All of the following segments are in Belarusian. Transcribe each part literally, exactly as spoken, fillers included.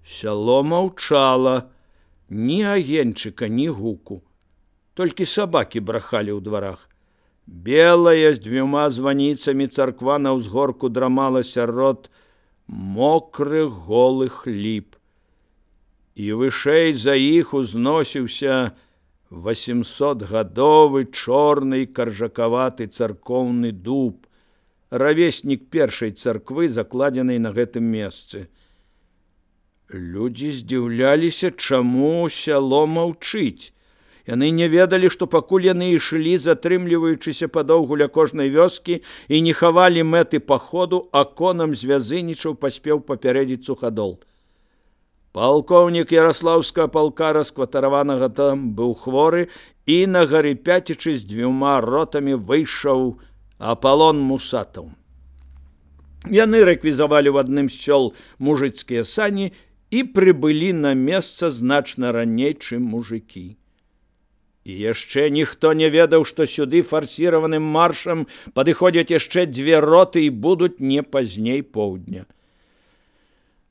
Сяло маўчала, ні агеньчыка, ні гуку. Толькі сабакі брахалі ў дварах. Белая з дзвюма званіцамі царква на ўзгорку драмала сярод мокрых голых ліп. І вышэй за іх узносіўся васемсотгадовы чорны каржакаваты царкоўны дуб, равеснік першай царквы, закладзенай на гэтым месцы. Людзі здзіўляліся, чаму сяло маўчыць. Яны не ведалі, што пакуль яны ішлі, затрымліваючыся падоўгу ля кожнай вёскі і не хавалі мэты паходу, а конам звязынічаў паспеў папярэдзіць сухадол. Палкоўнік Яраслаўскага палка, раскватараванага там, быў хворы, і на гарыпяцічы з дзвюма ротамі выйшаў Апалон Мусатаў. Яны рэквізавалі ў адным з сёл мужыцкія сані і прыбылі на месца значна раней, чым мужыкі. І яшчэ ніхто не ведаў, што сюды фарсіраваным маршам падыходзяць яшчэ дзве роты і будуць не пазней поўдня.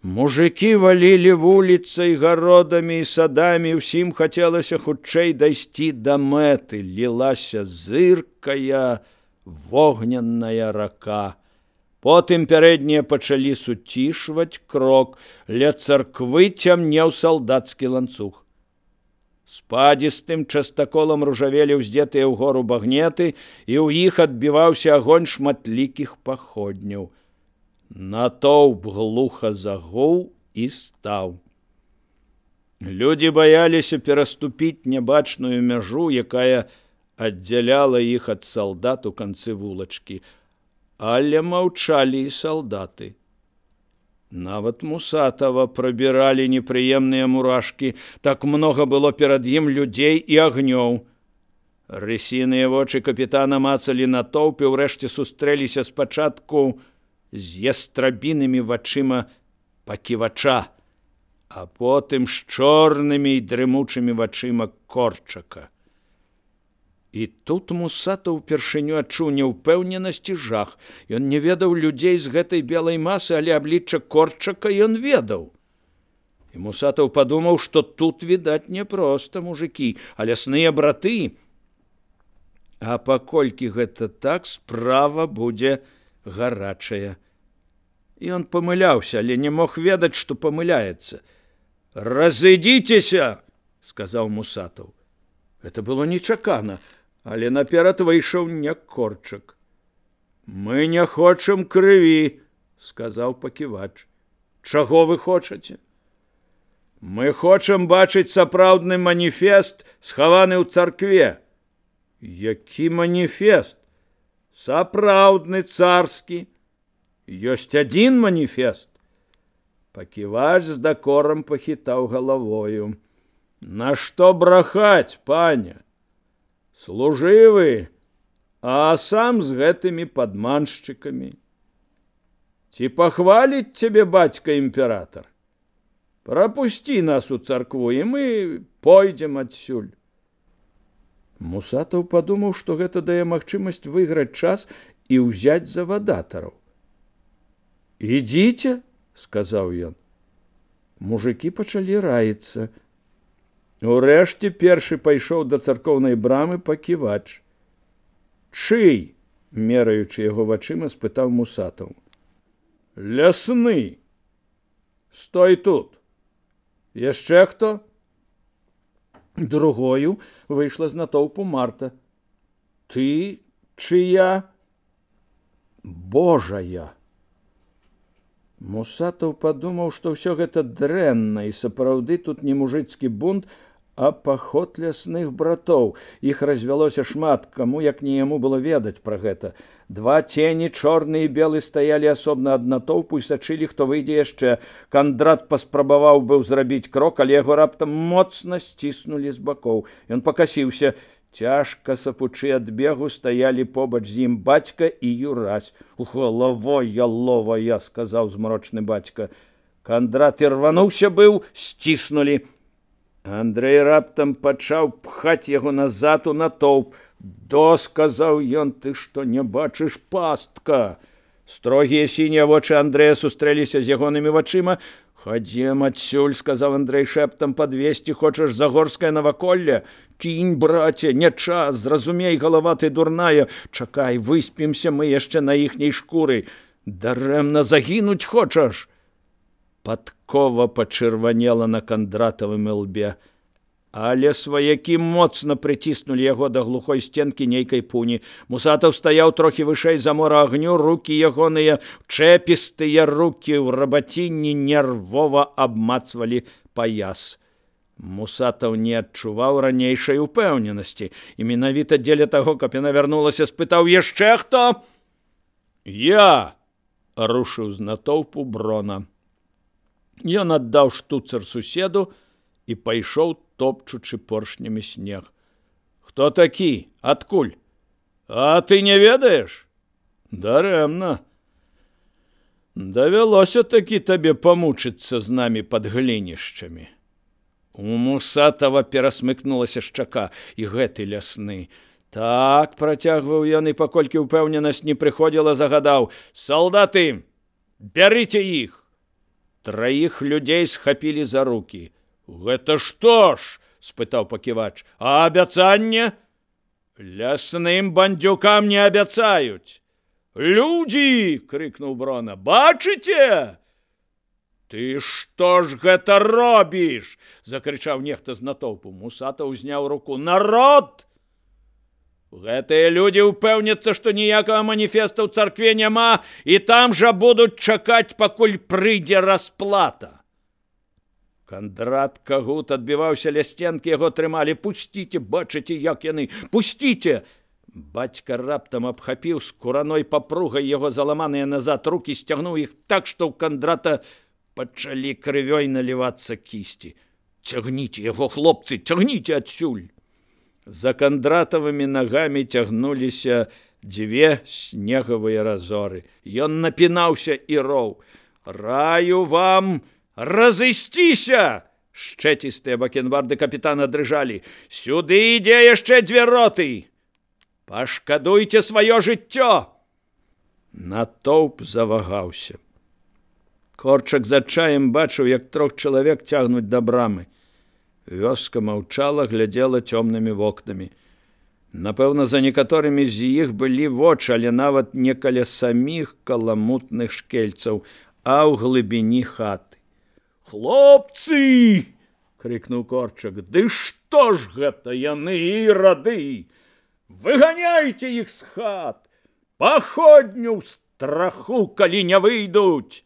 Мужыкі валілі вуліцай, гародамі і садамі, усім хацелася хутчэй дайсці да мэты. Лілася зыркая вогненная рака. Потым пярэднія пачалі суцішваць крок, ля царквы цямнеў салдацкі ланцуг. Спадзістым частаколам ружавелі ўздзетыя ўгору багнеты, і ў іх адбіваўся агонь шматлікіх паходняў. Натоўп глуха загуў і стаў. Людзі баяліся пераступіць нябачную мяжу, якая аддзяляла іх ад салдат у канцы вулачкі, але маўчалі і салдаты. Нават Мусатава прабіралі непрыемныя мурашкі, так многа было перад ім людзей і агнёў. Рысіныя вочы капітана мацалі натоўп і ўрэшце сустрэліся спачатку з ястрабінымі вачыма паківача, а потым з чорнымі і дрымучымі вачыма Корчака. І тут Мусатаў упершыню адчуў няўпэўненасць і жах. Ён не ведаў людзей з гэтай белай масы, але аблічча Корчака ён ведаў. І Мусатаў падумаў, што тут, відаць, не проста мужыкі, а лясныя браты. А паколькі гэта так, справа будзе гарачая. Ён памыляўся, але не мог ведаць, што памыляецца. «Разыдзіцеся!» – сказаў Мусатаў. Гэта было нечакана, але наперад выйшаў не Корчак. «Мы не хочам крыві», – сказаў паківач. «Чаго вы хочаце?» «Мы хочам бачыць сапраўдны маніфест, схаваны ў царкве». «Які маніфест?» «Сапраўдны царскі. Ёсць адзін маніфест». Паківач з дакорам пахітаў галавою. «Нашто брахаць, паня? Служывы, а сам з гэтымі падманшчыкамі. Ці пахваліць цябе бацька імператар? Прапусці нас у царкву, і мы пойдзем адсюль». Мусатаў падумаў, што гэта дае магчымасць выйграць час і ўзяць завадатараў. «Ідзіце», – сказаў ён. Мужыкі пачалі раіцца. Урэшце першы пайшоў да царкоўнай брамы паківач. «Чый?» – мераючы яго вачыма, спытаў Мусатаў. «Лясны. Стой тут. Яшчэ хто?» Другою выйшла з натоўпу Марта. «Ты чыя?» «Божая». Мусатаў падумаў, што ўсё гэта дрэнна, і сапраўды тут не мужыцкі бунт, а паход лясных братоў. Іх развялося шмат, каму як не яму было ведаць пра гэта. Два цені, чорны і белы, стаялі асобна ад натоўпу і сачылі, хто выйдзе яшчэ. Кандрат паспрабаваў быў зрабіць крок, але яго раптам моцна сціснулі з бакоў. Ён пакасіўся. Цяжка сапучы ад бегу стаялі побач з ім бацька і Юрась. «Галавая ловая», – сказаў змрочны бацька. Кандрат ірвануўся быў, сціснулі. Андрэй раптам пачаў пхаць яго назад у натоўп. «До», – сказаў ён, – «ты што не бачыш, пастка?» Строгія сінія вочы Андрэя сустрэліся з ягонымі вачыма. Ходзем адсюль, сказаў Андрэй шэптам, падвесці хочаш загорскае наваколле? Кінь, браце, не час, зразумей, галава ты дурная. Чакай, выспімся мы яшчэ на іхняй шкуры. Дарэмна загінуць хочаш? Падкова пачырванела на Кандратавым ілбе, але сваякі моцна прыціснулі яго да глухой стенкі нейкай пуні. Мусатаў стаяў трохі вышэй замора агню, рукі ягоныя, чэпістыя рукі ў рабацінні нервова абмацвалі паяс. Мусатаў не адчуваў ранейшай упэўненасці, і менавіта дзеля таго, каб яна вярнулася, спытаў: яшчэ хто? Я! Рушыў з натоўпу Брона. Ён аддаў штуцер суседу і пайшоў, топчучы поршнямі снег. Хто такі? Адкуль? А ты не ведаеш? Дарэмна. Давялося такі табе памучыцца з намі пад глінішчамі. У Мусатава перасмыкнулася шчака. І гэты лясны. Так, працягваў ён, і паколькі ўпэўненасць не прыходзіла, загадаў: салдаты, бярыце іх! Траіх людзей схапілі за рукі. Гэта што ж? Спытаў паківач. А абяцанне? Лясным бандзюкам не абяцаюць. Людзі! Крыкнуў Брона. Бачыце? Ты што ж гэта робіш? Закрычаў нехта з натоўпу. Мусатаў узняў руку. Народ! Гэтыя людзі ўпэўняцца, што ніякага маніфеста ў царкве няма, і там жа будуць чакаць, пакуль прыйдзе расплата. Кандрат Кагут адбіваўся ля сценкі, яго трымалі. Пусціце, бачыце, як яны, пусціце! Бацька раптам абхапіў скураной папругай яго заламаныя назад рукі, сцягнуў іх так, што ў Кандрата пачалі крывёй налівацца кісці. Цягніце яго, хлопцы, цягніце адсюль! За Кандратавымі нагамі цягнуліся дзве снегавыя разоры. Ён напінаўся і роў. Раю вам разысціся! Шчэцістыя бакенбарды капітана дрыжалі. Сюды ідзе яшчэ дзве роты! Пашкадуйце сваё жыццё! Натоўп завагаўся. Корчак з адчаем бачыў, як трох чалавек цягнуць да брамы. Вёска маўчала, глядзела цёмнымі вокнамі. Напэўна, за некаторымі з іх былі вочы, але нават не каля саміх каламутных шкельцаў, а ў глыбіні хаты. Хлопцы! Крыкнуў Корчак. Ды што ж гэта яны, ірады? Выганяйце іх з хат! Паходню ў страху, калі не выйдуць!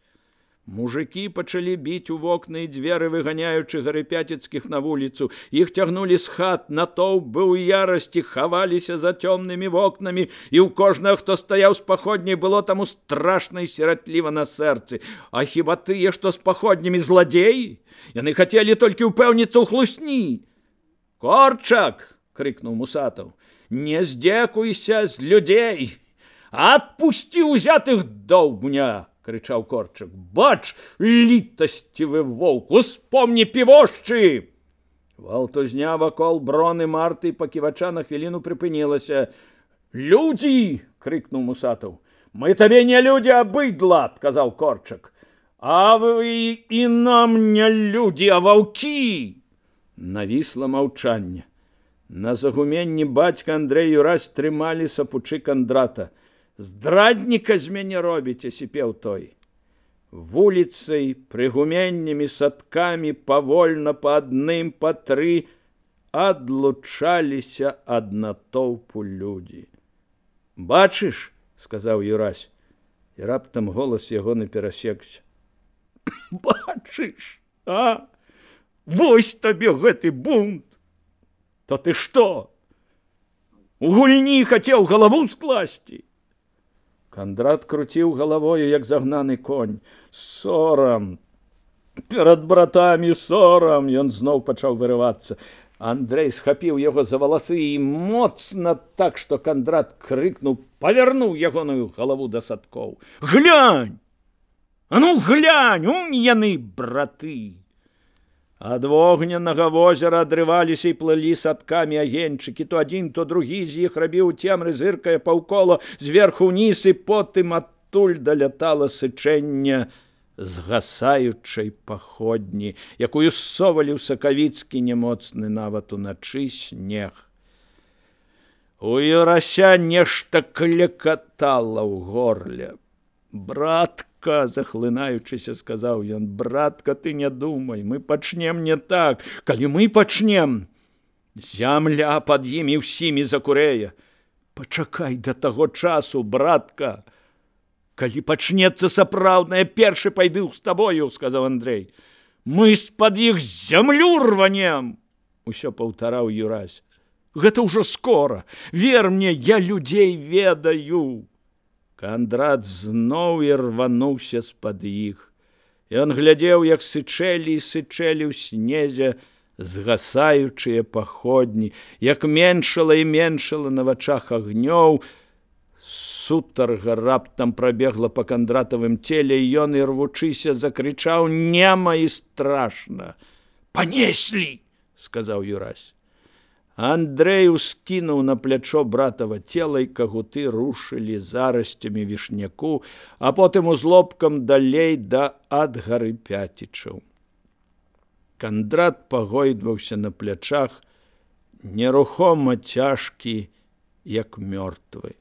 Мужыкі пачалі біць у вокны і дзверы, выганяючы гарыпяцецкіх на вуліцу. Іх цягнулі з хат, натоўп быў у ярасці, хаваліся за цёмнымі вокнамі, і ў кожнага, хто стаяў з паходняй, было таму страшна і сіратліва на сэрцы. А хіба тыя, што з паходнямі, зладзеі? Яны хацелі толькі ўпэўніцца ў хлусні. Корчак! Крыкнуў Мусатаў. Не здзекуйся з людзей! Адпусці ўзятых доўбня! Крычаў Корчак. Бач, літасцівы воўк, успомні півошчы! Валтузня вакол Броны, Марты і паківача на хвіліну прыпынілася. Людзі! Крыкнуў Мусатаў. Мы табе не людзі, а быдла, адказаў Корчак. А вы і нам не людзі, а ваўкі! Навісла маўчанне. На загуменні бацька Андрэй Юрась трымалі сапучы Кандрата. Здрадніка з мяне робіце, сіпеў той. Вуліцай, прыгуменнямі, садкамі, павольна па адным, па тры адлучаліся ад натоўпу людзі. Бачыш, сказаў Юрась, і раптам голас яго наперасекся. Бачыш, а? Вось табе гэты бунт! То ты што? У гульні хацеў галаву скласці? Кандрат круціў галавою, як загнаны конь. Сорам! Перад братамі сорам! Ён зноў пачаў вырывацца. Андрэй схапіў яго за валасы і моцна так, што Кандрат крыкнуў, павярнуў ягоную галаву да садкоў. Глянь! А ну глянь, унь яны, браты! Ад вогненнага возера адрываліся і плылі садкамі агеньчыкі. То адзін, то другі з іх рабіў цемры, зыркае паўкола, зверху ўніз, і потым адтуль далятала сычэнне згасаючай паходні, якую ссовалі ў сакавіцкі немоцны нават уначы снег. У Юрася нешта клекатала ў горле. «Братка», захлынаючыся, сказаў ён, «братка, ты не думай, мы пачнем не так. Калі мы пачнем, зямля пад імі ўсімі закурэе. Пачакай да таго часу, братка. Калі пачнецца сапраўднае, першы пайду з табою», — сказаў Андрэй. «Мы з-пад іх зямлю рванем», — усё паўтараў Юрась. «Гэта ўжо скора. Вер мне, я людзей ведаю». Кандрат зноў і рвануўся з-пад іх. Ён глядзеў, як сычэлі і сычэлі ў снезе згасаючыя паходні, як меншала і меншала на вачах агнёў. Сутарга раптам прабегла па кандратавым целе, і ён, ірвучыся, закрычаў нема і страшна. «Панеслі!» — сказаў Юрась. Андрэй ускінуў на плячо братава цела, і кагуты рушылі зарасцямі вішняку, а потым узлобкам далей да Адгары Пяцічаў. Кандрат пагойдваўся на плячах, нерухома цяжкі, як мёртвы.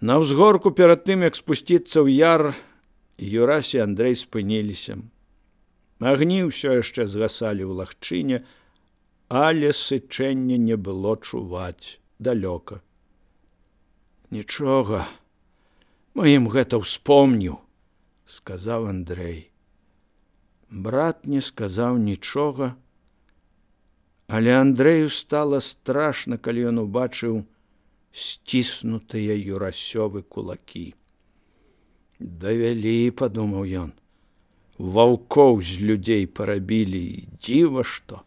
На ўзгорку перад тым, як спусціцца ў яр, Юрась і Андрэй спыніліся. Агні ўсё яшчэ згасалі ў лагчыне, але сычэння не было чуваць далёка. «Нічога, мы ім гэта ўспомніў», — сказаў Андрэй. Брат не сказаў нічога, але Андрэю стала страшна, калі ён убачыў сціснутыя Юрасёвы кулакі. «Давялі», — падумаў ён, — «ваўкоў з людзей парабілі, і дзіва што».